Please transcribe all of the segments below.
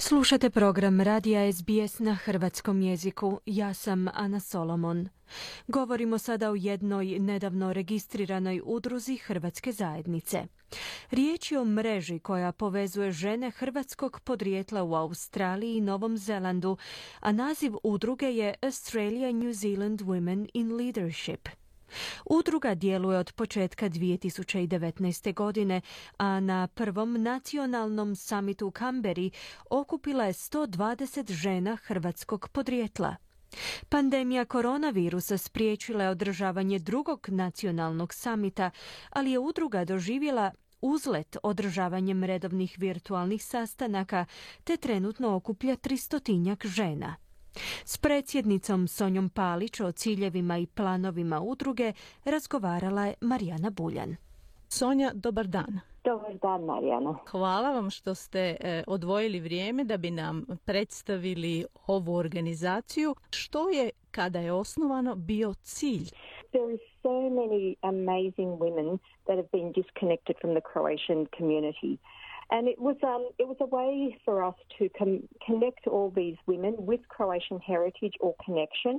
Slušate program Radija SBS na hrvatskom jeziku. Ja sam Ana Solomon. Govorimo sada o jednoj nedavno registriranoj udruzi hrvatske zajednice. Riječ je o mreži koja povezuje žene hrvatskog podrijetla u Australiji i Novom Zelandu, a naziv udruge je Australia New Zealand Women in Leadership. Udruga djeluje od početka 2019. godine, a na prvom nacionalnom samitu u Kamberi okupila je 120 žena hrvatskog podrijetla. Pandemija koronavirusa spriječila je održavanje drugog nacionalnog samita, ali je udruga doživjela uzlet održavanjem redovnih virtualnih sastanaka, te trenutno okuplja 300 žena. S predsjednicom Sonjom Palić o ciljevima i planovima udruge razgovarala je Marijana Buljan. Sonja, dobar dan. Dobar dan, Marijana. Hvala vam što ste odvojili vrijeme da bi nam predstavili ovu organizaciju. Što je, kada je osnovano, bio cilj? There is so many amazing women that have been disconnected from the Croatian community. And it was a way for us to connect all these women with Croatian heritage or connection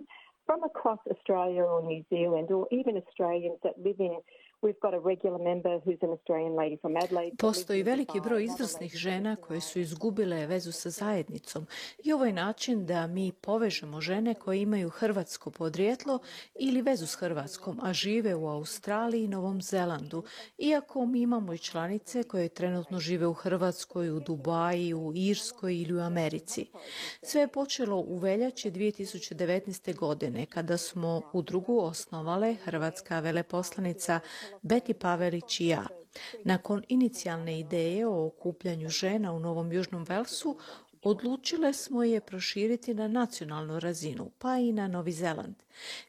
from across Australia or New Zealand, or even Australians that live in. We've got a regular member who's an Australian lady from Adelaide. Postoji veliki broj izvrsnih žena koje su izgubile vezu sa zajednicom i ovo je način da mi povežemo žene koje imaju hrvatsko podrijetlo ili vezu s Hrvatskom, a žive u Australiji i Novom Zelandu, iako mi imamo i članice koje trenutno žive u Hrvatskoj, u Dubaji, u Irskoj ili u Americi. Sve je počelo u veljači 2019. godine kada smo udrugu osnovale hrvatska veleposlanica Beti Pavelić i ja. Nakon inicijalne ideje o okupljanju žena u Novom Južnom Velsu, odlučile smo je proširiti na nacionalnu razinu, pa i na Novi Zeland.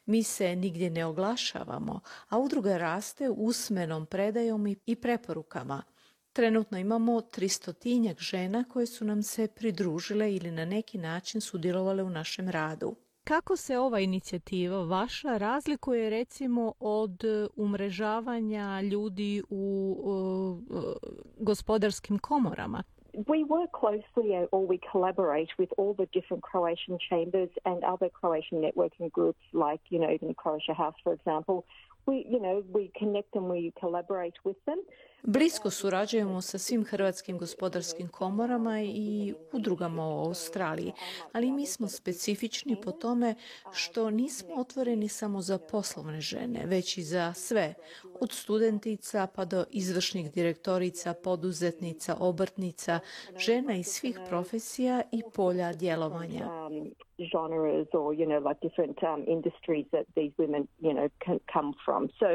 Mi se nigdje ne oglašavamo, a udruga raste usmenom predajom i preporukama. Trenutno imamo 300 žena koje su nam se pridružile ili na neki način sudjelovale u našem radu. Kako se ova inicijativa vaša razlikuje recimo od umrežavanja ljudi u gospodarskim komorama? We work closely or we collaborate with all the different Croatian chambers and other Croatian networking groups like, even Croatia House, for example. We connect and we collaborate with them. Blisko surađujemo sa svim hrvatskim gospodarskim komorama i udrugama u Australiji, ali mi smo specifični po tome što nismo otvoreni samo za poslovne žene, već i za sve, od studentica pa do izvršnih direktorica, poduzetnica, obrtnica, žena iz svih profesija i polja djelovanja. Genres or, like different industries that these women, can come from. So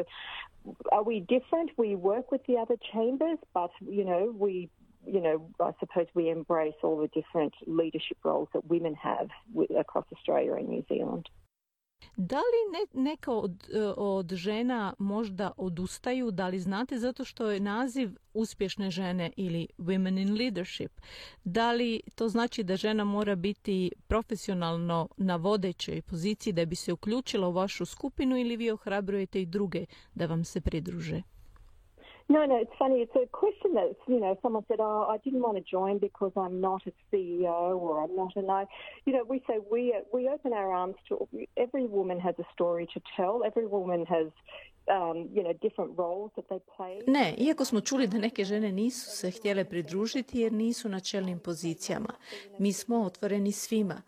are we different? We work with the other chambers, but, I suppose we embrace all the different leadership roles that women have across Australia and New Zealand. Da li neka od žena možda odustaju, da li znate, zato što je naziv uspješne žene ili Women in Leadership? Da li to znači da žena mora biti profesionalno na vodećoj poziciji da bi se uključila u vašu skupinu ili vi ohrabrujete i druge da vam se pridruže? No, it's funny. It's a question that, someone said, I didn't want to join because I'm not a CEO or I'm not we say we open our arms to every woman has a story to tell. Every woman has, different roles that they play. Ne, iako smo čuli da neke žene nisu se htjele pridružiti jer nisu na čelnim pozicijama. Mi smo otvoreni svima.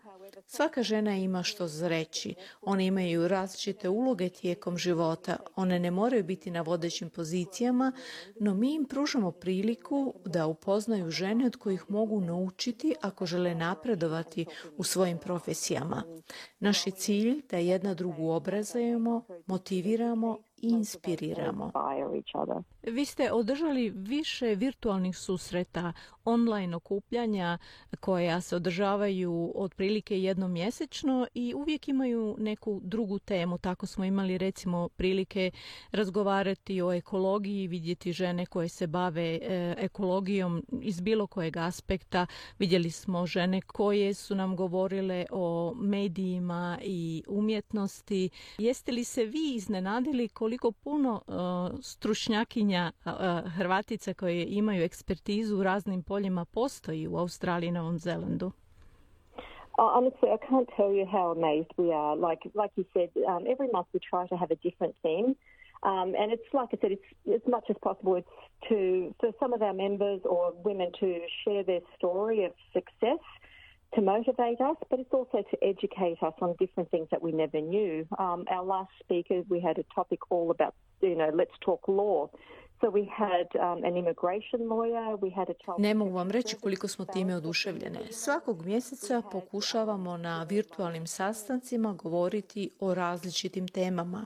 Svaka žena ima što reći. One imaju različite uloge tijekom života. One ne moraju biti na vodećim pozicijama, no mi im pružamo priliku da upoznaju žene od kojih mogu naučiti ako žele napredovati u svojim profesijama. Naš je cilj da jedna drugu obrazujemo, motiviramo i inspiriramo. Vi ste održali više virtualnih susreta, online okupljanja koja se održavaju otprilike jednom mjesečno i uvijek imaju neku drugu temu. Tako smo imali recimo prilike razgovarati o ekologiji, vidjeti žene koje se bave ekologijom iz bilo kojeg aspekta. Vidjeli smo žene koje su nam govorile o medijima i umjetnosti. Jeste li se vi iznenadili koliko puno stručnjakinja okupljanja Hrvatica koje imaju ekspertizu u raznim poljima postoji u Australiji i Novom Zelandu? Honestly, I can't tell you how amazed we are. Like you said, every month we try to have a different theme. And it's like I said, it's as much as possible. It's for some of our members or women to share their story of success to motivate us, but it's also to educate us on different things that we never knew. Our last speaker, we had a topic all about, let's talk law. So we had an immigration lawyer, we had a child... Ne mogu vam reći koliko smo time oduševljene. Svakog mjeseca pokušavamo na virtualnim sastancima govoriti o različitim temama.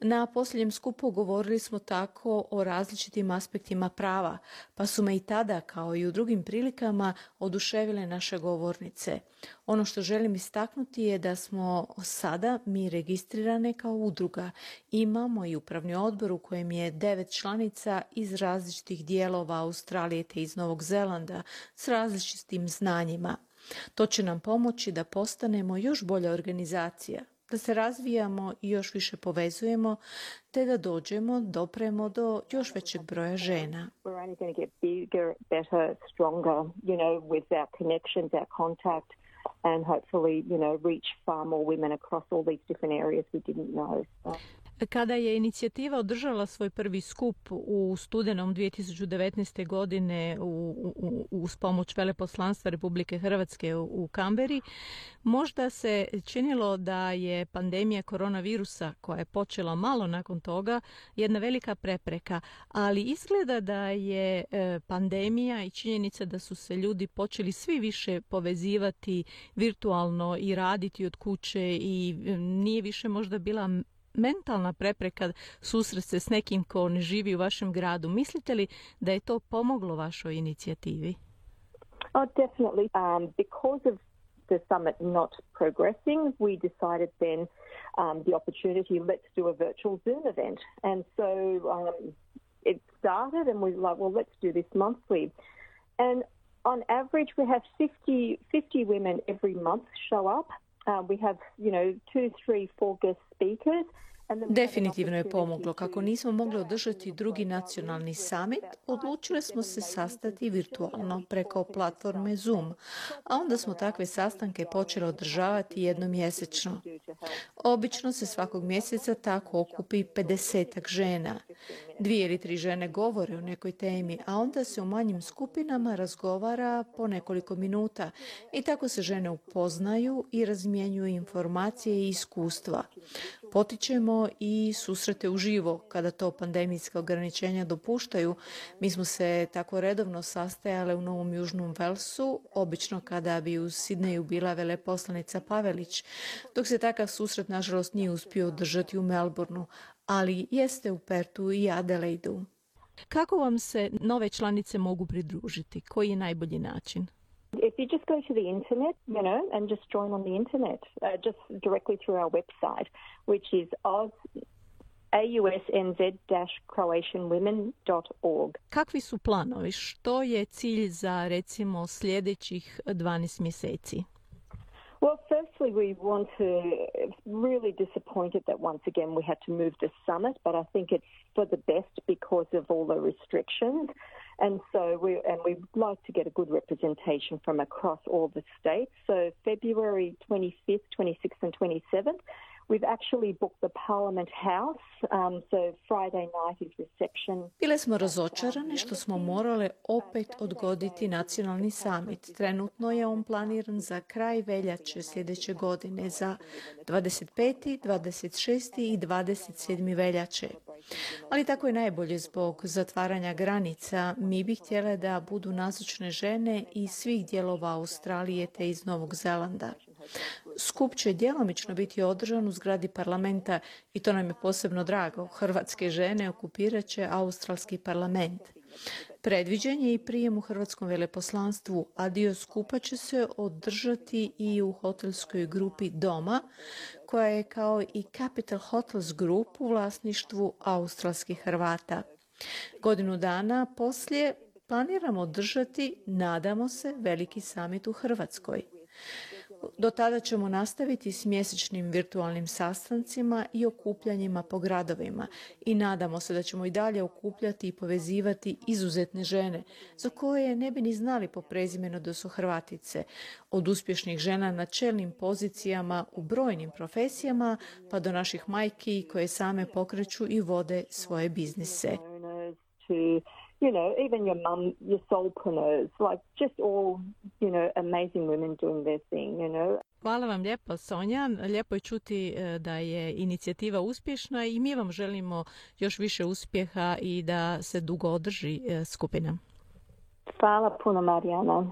Na posljednjem skupu govorili smo tako o različitim aspektima prava, pa su me i tada, kao i u drugim prilikama, oduševile naše govornice. Ono što želim istaknuti je da smo sada mi registrirane kao udruga. Imamo i upravni odbor u kojem je 9 članica iz različitih dijelova Australije te iz Novog Zelanda s različitim znanjima. To će nam pomoći da postanemo još bolja organizacija, da se razvijamo i još više povezujemo, te da dopremo do još većeg broja žena. We're only going to get bigger, better, stronger, with our connections, our contact, and hopefully, reach far more women across all these different areas we didn't know. Kada je inicijativa održala svoj prvi skup u studenom 2019. godine uz pomoć Veleposlanstva Republike Hrvatske u Kamberi, možda se činilo da je pandemija koronavirusa, koja je počela malo nakon toga, jedna velika prepreka, ali izgleda da je pandemija i činjenica da su se ljudi počeli svi više povezivati virtualno i raditi od kuće i nije više možda bila mentalna prepreka susret se s nekim ko ne živi u vašem gradu. Mislite li da je to pomoglo vašoj inicijativi? Oh, definitely. Because of the summit not progressing, we decided then the opportunity, let's do a virtual Zoom event. And so it started and we were like, well, let's do this monthly. And on average, we have 50 women every month show up. We have, 2, 3, 4 guest speakers. Definitivno je pomoglo. Kako nismo mogli održati drugi nacionalni summit, odlučili smo se sastati virtualno preko platforme Zoom, a onda smo takve sastanke počeli održavati jednom mjesečno. Obično se svakog mjeseca tako okupi 50 žena. 2 ili 3 žene govore o nekoj temi, a onda se u manjim skupinama razgovara po nekoliko minuta i tako se žene upoznaju i razmjenjuju informacije i iskustva. Potičemo i susrete uživo kada to pandemijska ograničenja dopuštaju. Mi smo se tako redovno sastajale u Novom Južnom Velsu, obično kada bi u Sidneju bila veleposlanica Pavelić, dok se takav susret nažalost nije uspio održati u Melbourneu, ali jeste u Pertu i Adelaidu. Kako vam se nove članice mogu pridružiti? Koji je najbolji način? If you just go to the internet, and just join on the internet, just directly through our website, which is ausnz-croatianwomen.org. Kakvi su planovi? Što je cilj za, recimo, sljedećih 12 mjeseci? Well, firstly, we want to really disappointed that once again we had to move the summit, but I think it's for the best because of all the restrictions. And so we'd like to get a good representation from across all the states. So February 25th, 26th and 27th, we've actually booked the Parliament House. So Friday night is reception. Bile smo razočarane što smo morale opet odgoditi nacionalni summit. Trenutno je on planiran za kraj veljače sljedeće godine, za 25., 26. i 27. veljače. Ali tako je najbolje zbog zatvaranja granica. Mi bi htjele da budu nazočne žene iz svih dijelova Australije te iz Novog Zelanda. Skup će djelomično biti održan u zgradi parlamenta i to nam je posebno drago. Hrvatske žene okupirat će australski parlament. Predviđen je i prijem u Hrvatskom veleposlanstvu, a dio skupa će se održati i u hotelskoj grupi Doma, koja je kao i Capital Hotels Group u vlasništvu australskih Hrvata. Godinu dana poslije planiramo održati, nadamo se, veliki samit u Hrvatskoj. Do tada ćemo nastaviti s mjesečnim virtualnim sastancima i okupljanjima po gradovima i nadamo se da ćemo i dalje okupljati i povezivati izuzetne žene za koje ne bi ni znali po prezimenu da su Hrvatice, od uspješnih žena na čelnim pozicijama u brojnim profesijama pa do naših majki koje same pokreću i vode svoje biznise. You know, even your mum, your soulpreneurs, like just all, you know, amazing women doing their thing, you know. Hvala vam lijepo, Sonja. Lijepo je čuti da je inicijativa uspješna i mi vam želimo još više uspjeha i da se dugo održi skupina. Hvala puno, Marijana.